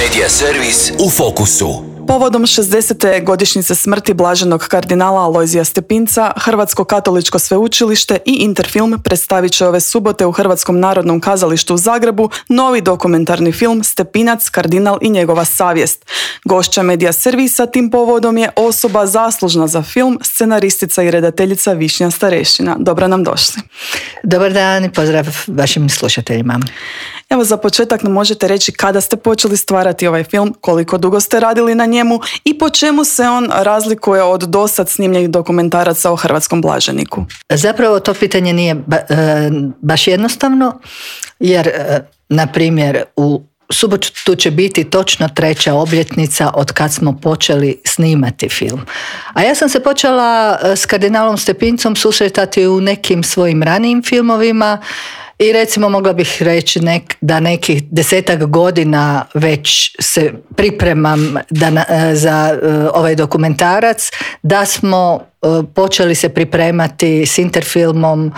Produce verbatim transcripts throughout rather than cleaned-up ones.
Medija servis u fokusu. Povodom šezdesete godišnjice smrti blaženog kardinala Alojzija Stepinca, Hrvatsko katoličko sveučilište i Interfilm predstavit će ove subote u Hrvatskom narodnom kazalištu u Zagrebu novi dokumentarni film Stepinac, kardinal i njegova savjest. Gošća Medija servisa tim povodom je osoba zaslužna za film, scenaristica i redateljica Višnja Starešina. Dobro nam došli. Dobar dan i pozdrav vašim slušateljima. Evo, za početak nam možete reći kada ste počeli stvarati ovaj film, koliko dugo ste radili na njemu i po čemu se on razlikuje od dosad snimljenih dokumentaraca o hrvatskom blaženiku? Zapravo to pitanje nije ba, e, baš jednostavno, jer e, na primjer u subotu će biti točno treća obljetnica od kad smo počeli snimati film. A ja sam se počela s kardinalom Stepincom susretati u nekim svojim ranijim filmovima i recimo mogla bih reći nek, da nekih desetak godina već se pripremam da na, za uh, ovaj dokumentarac, da smo uh, počeli se pripremati s Interfilmom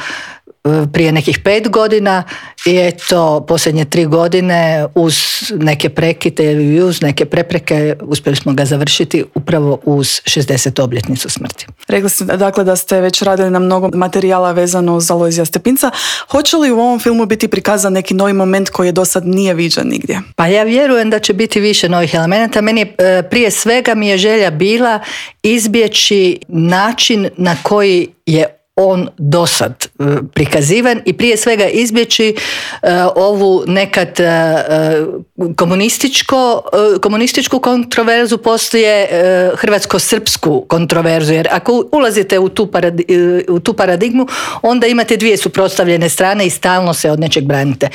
prije nekih pet godina i eto posljednje tri godine uz neke prekide i uz neke prepreke uspjeli smo ga završiti upravo uz šezdesetu obljetnicu smrti. Rekli ste dakle da ste već radili na mnogo materijala vezano uz Alojzija Stepinca. Hoće li u ovom filmu biti prikazan neki novi moment koji je do sad nije viđen nigdje? Pa ja vjerujem da će biti više novih elemenata. Meni je, prije svega mi je želja bila izbjeći način na koji je on dosad prikazivan i prije svega izbjeći uh, ovu nekad uh, komunističko, uh, komunističku kontroverzu poslije uh, hrvatsko-srpsku kontroverzu, jer ako ulazite u tu, paradi, uh, u tu paradigmu, onda imate dvije suprotstavljene strane i stalno se od nečeg branite.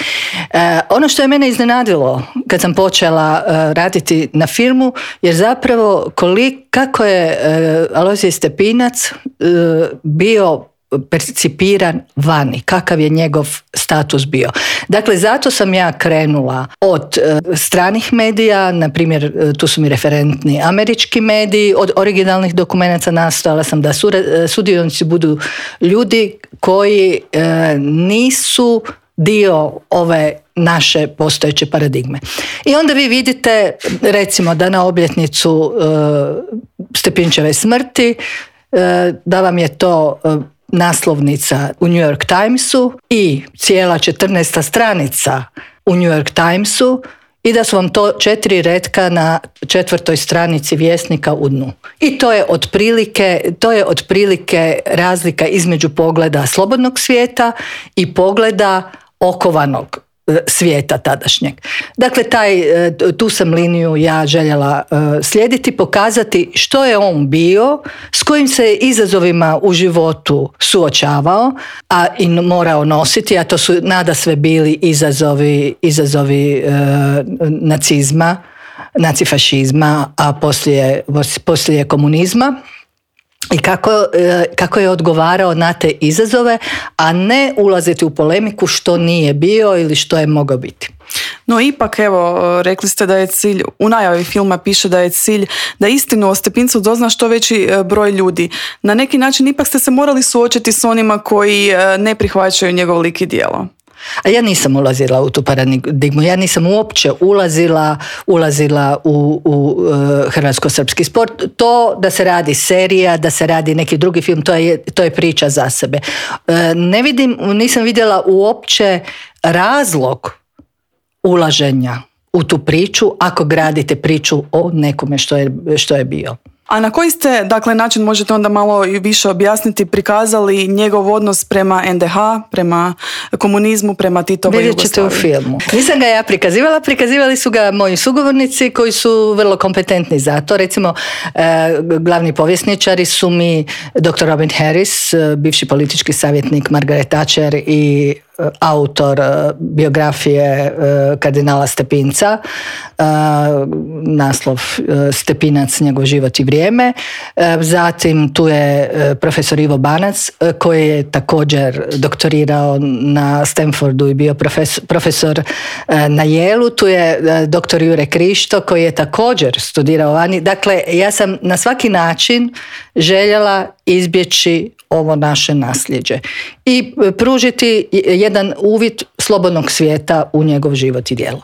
Uh, ono što je mene iznenadilo kad sam počela uh, raditi na filmu, jer zapravo koliko, kako je uh, Alojzij Stepinac uh, bio percipiran vani, kakav je njegov status bio. Dakle, zato sam ja krenula od e, stranih medija, na primjer tu su mi referentni američki mediji, od originalnih dokumenata nastojala sam da su, e, sudionici budu ljudi koji e, nisu dio ove naše postojeće paradigme. I onda vi vidite, recimo, da na obljetnicu e, Stepinčeve smrti, e, da vam je to e, naslovnica u New York Timesu i cijela četrnaesta stranica u New York Timesu i da su vam to četiri retka na četvrtoj stranici Vjesnika u dnu. I to je otprilike, to je otprilike razlika između pogleda slobodnog svijeta i pogleda okovanog svijeta tadašnjeg. Dakle, taj, tu sam liniju ja željela slijediti, pokazati što je on bio, s kojim se izazovima u životu suočavao, a i morao nositi, a to su nadasve bili izazovi, izazovi e, nacizma, nacifašizma, a poslije, poslije komunizma. I kako, kako je odgovarao na te izazove, a ne ulaziti u polemiku što nije bio ili što je mogao biti. No ipak, evo, rekli ste da je cilj, u najavi filma piše da je cilj da istinu o Stepincu dozna što veći broj ljudi. Na neki način ipak ste se morali suočiti s onima koji ne prihvaćaju njegov lik i djelo. A ja nisam ulazila u tu paradigmu, ja nisam uopće ulazila, ulazila u, u uh, hrvatsko-srpski sport. To da se radi serija, da se radi neki drugi film, to je, to je priča za sebe. Uh, ne vidim, nisam vidjela uopće razlog ulaženja u tu priču ako gradite priču o nekome što je, što je bio. A na koji ste, dakle, način, možete onda malo više objasniti, prikazali njegov odnos prema en de ha, prema komunizmu, prema Titovoj Jugoslaviji? Vidjet ćete u filmu. Nisam ga ja prikazivala, prikazivali su ga moji sugovornici koji su vrlo kompetentni za to. Recimo, eh, glavni povjesničari su mi doktor Robin Harris, bivši politički savjetnik Margaret Thatcher i autor biografije kardinala Stepinca, naslov Stepinac, njegov život i vrijeme. Zatim tu je profesor Ivo Banac koji je također doktorirao na Stanfordu i bio profesor, profesor na Yale-u. Tu je doktor Jure Krišto koji je također studirao vani. Dakle, ja sam na svaki način željela izbjeći ovo naše nasljeđe i pružiti jedan uvid slobodnog svijeta u njegov život i djelo.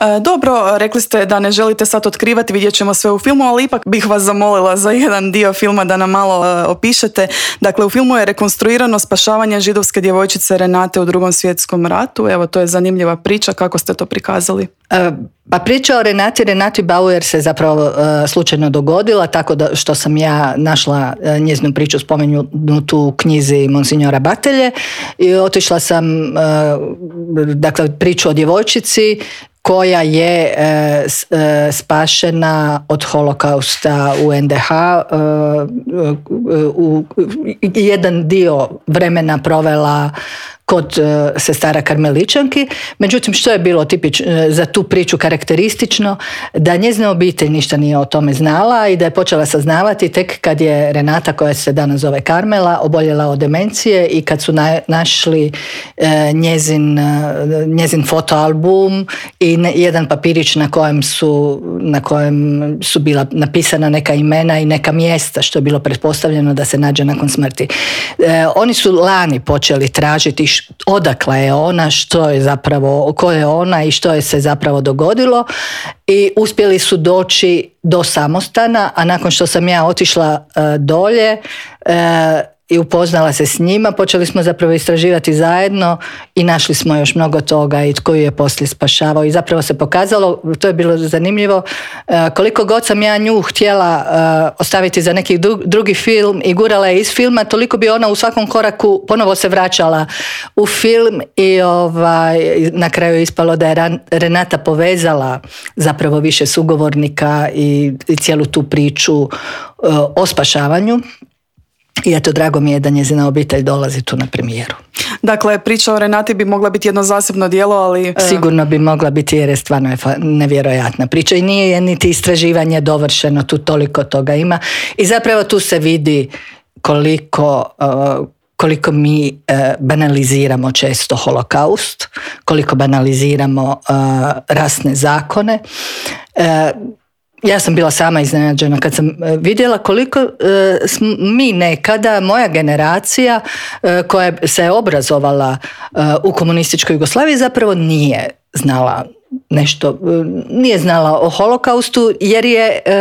E, dobro, rekli ste da ne želite sad otkrivati, vidjet ćemo sve u filmu, ali ipak bih vas zamolila za jedan dio filma da nam malo e, opišete. Dakle, u filmu je rekonstruirano spašavanje židovske djevojčice Renate u Drugom svjetskom ratu. Evo, to je zanimljiva priča. Kako ste to prikazali? E, pa priča o Renati, Renati Bauer se zapravo e, slučajno dogodila, tako da što sam ja našla e, njezinu priču spomenutu u knjizi Monsignora Batelje i otišla sam e, dakle priču o djevojčici koja je e, e, spašena od holokausta u en de ha, e, u, u, jedan dio vremena provela kod e, sestara karmeličanki. Međutim, što je bilo tipično za tu priču karakteristično, da njezina obitelj ništa nije o tome znala i da je počela saznavati tek kad je Renata, koja se danas zove Karmela, oboljela od demencije i kad su na, našli e, njezin, njezin fotoalbum i ne, jedan papirić na kojem su na kojem su bila napisana neka imena i neka mjesta, što je bilo pretpostavljeno da se nađe nakon smrti. E, oni su lani počeli tražiti odakle je ona, što je zapravo, ko je ona i što je se zapravo dogodilo i uspjeli su doći do samostana, a nakon što sam ja otišla uh, dolje uh, i upoznala se s njima, počeli smo zapravo istraživati zajedno i našli smo još mnogo toga i tko ju je poslije spašavao i zapravo se pokazalo, to je bilo zanimljivo, koliko god sam ja nju htjela ostaviti za neki drugi film i gurala je iz filma, toliko bi ona u svakom koraku ponovo se vraćala u film i ovaj, na kraju je ispalo da je Renata povezala zapravo više sugovornika i, i cijelu tu priču o spašavanju. I eto, drago mi je da njezina obitelj dolazi tu na premijeru. Dakle, priča o Renati bi mogla biti jedno zasebno djelo, ali... Sigurno bi mogla biti jer je stvarno je nevjerojatna priča i nije je niti istraživanje dovršeno, tu toliko toga ima. I zapravo tu se vidi koliko... Uh, koliko mi uh, banaliziramo često holokaust, koliko banaliziramo uh, rasne zakone. Uh, Ja sam bila sama iznenađena kad sam vidjela koliko uh, mi nekada, moja generacija uh, koja se je obrazovala uh, u komunističkoj Jugoslaviji zapravo nije znala nešto, uh, nije znala o holokaustu jer je uh,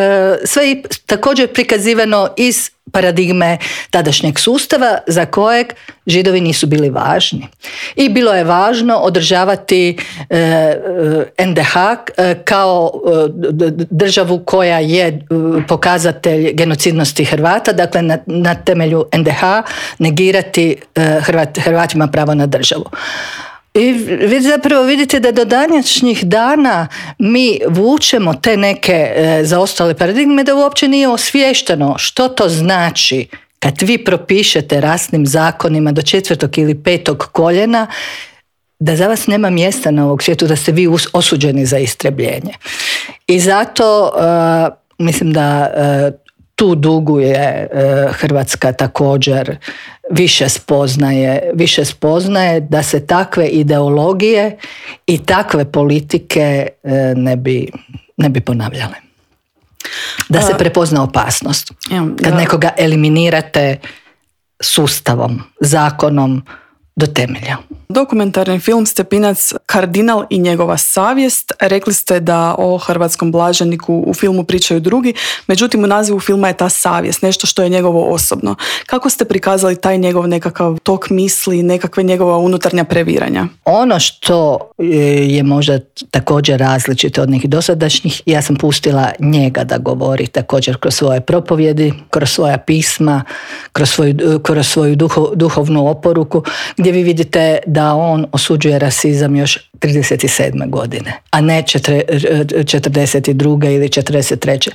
sve također prikazivano iz paradigme tadašnjeg sustava za kojeg Židovi nisu bili važni. I bilo je važno održavati e, en de ha e, kao e, državu koja je e, pokazatelj genocidnosti Hrvata, dakle na, na temelju en de ha negirati e, Hrvat, Hrvatima pravo na državu. I vi zapravo vidite da do današnjih dana mi vučemo te neke e, zaostale paradigme da uopće nije osviješteno što to znači kad vi propišete rasnim zakonima do četvrtog ili petog koljena da za vas nema mjesta na ovog svijetu, da ste vi osuđeni za istrebljenje. I zato e, mislim da e, tu duguje e, Hrvatska također više spoznaje, više spoznaje da se takve ideologije i takve politike e, ne bi, ne bi ponavljale. Da se prepozna opasnost. Kad nekoga eliminirate sustavom, zakonom do temelja. Dokumentarni film Stepinac Kardinal i njegova savjest. Rekli ste da o hrvatskom blaženiku u filmu pričaju drugi, međutim u nazivu filma je ta savjest, nešto što je njegovo osobno. Kako ste prikazali taj njegov nekakav tok misli, nekakve njegova unutarnja previranja? Ono što je možda također različito od nekih dosadašnjih, ja sam pustila njega da govori također kroz svoje propovjedi, kroz svoja pisma, kroz svoju, kroz svoju duho, duhovnu oporuku, gdje vi vidite da on osuđuje rasizam još trideset sedme godine, a ne četrdeset druge ili četrdeset treće.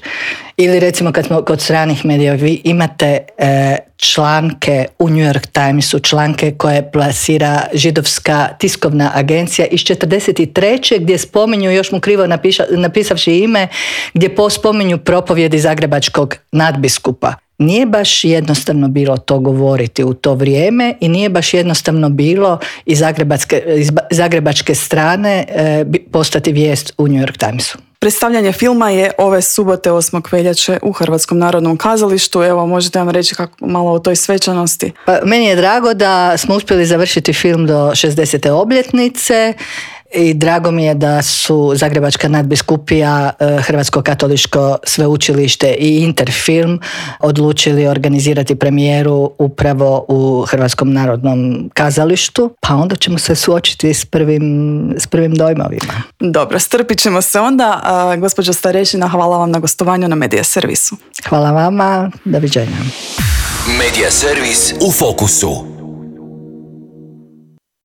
Ili recimo kad smo kod stranih medija, vi imate e, članke u New York Timesu, članke koje plasira židovska tiskovna agencija iz četrdeset treće gdje spominju, još mu krivo napiša, napisavši ime, gdje pospominju propovjedi zagrebačkog nadbiskupa. Nije baš jednostavno bilo to govoriti u to vrijeme i nije baš jednostavno bilo iz zagrebačke, iz zagrebačke strane e, postati vijest u New York Timesu. Predstavljanje filma je ove subote osmog veljače u Hrvatskom narodnom kazalištu. Evo, možete vam reći kako malo o toj svečanosti? Pa, meni je drago da smo uspjeli završiti film do šezdesete obljetnice I drago mi je da su Zagrebačka nadbiskupija, Hrvatsko katoličko sveučilište i Interfilm odlučili organizirati premijeru upravo u Hrvatskom narodnom kazalištu, pa onda ćemo se suočiti s prvim, s prvim dojmovima. Dobro, strpit ćemo se onda. A, gospođo Starešina, hvala vam na gostovanju na Medija servisu. Hvala vama, doviđenja. Medija servis u fokusu.